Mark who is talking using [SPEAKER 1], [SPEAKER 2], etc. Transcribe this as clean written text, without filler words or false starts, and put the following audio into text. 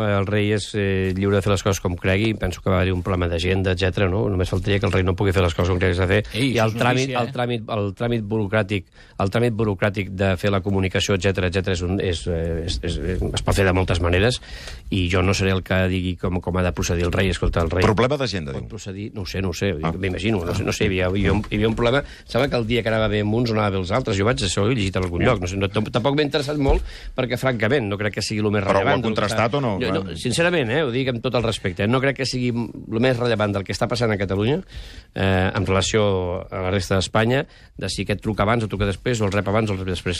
[SPEAKER 1] el rei és lliure de fer les coses com cregui, penso que va haver-hi un problema d'agenda, etc. No? Només faltaria que el rei no pugui fer les coses com cregui de fer.
[SPEAKER 2] Ei,
[SPEAKER 1] I el
[SPEAKER 2] notícia,
[SPEAKER 1] tràmit burocràtic de fer la comunicació, etc es pot fer de moltes maneres, i jo no seré el que digui com ha de procedir el rei. Escolta, el rei...
[SPEAKER 3] Problema d'agenda, diu.
[SPEAKER 1] Procedir, no ho sé, m'imagino, no sé, hi havia un problema, sembla que el dia que anava bé amb uns no anava bé els altres, jo vaig això, he llegit en algun lloc, tampoc m'he interessat molt, perquè francament no crec que sigui el més rellevant.
[SPEAKER 3] Però ho ha contrastat o no?
[SPEAKER 1] Sincerament, ho dic amb tot el respecte, no crec que sigui el més rellevant del que està passant a Catalunya en relació a la resta d'Espanya, de si aquest truca abans o truca després, o el rep abans o el rep després.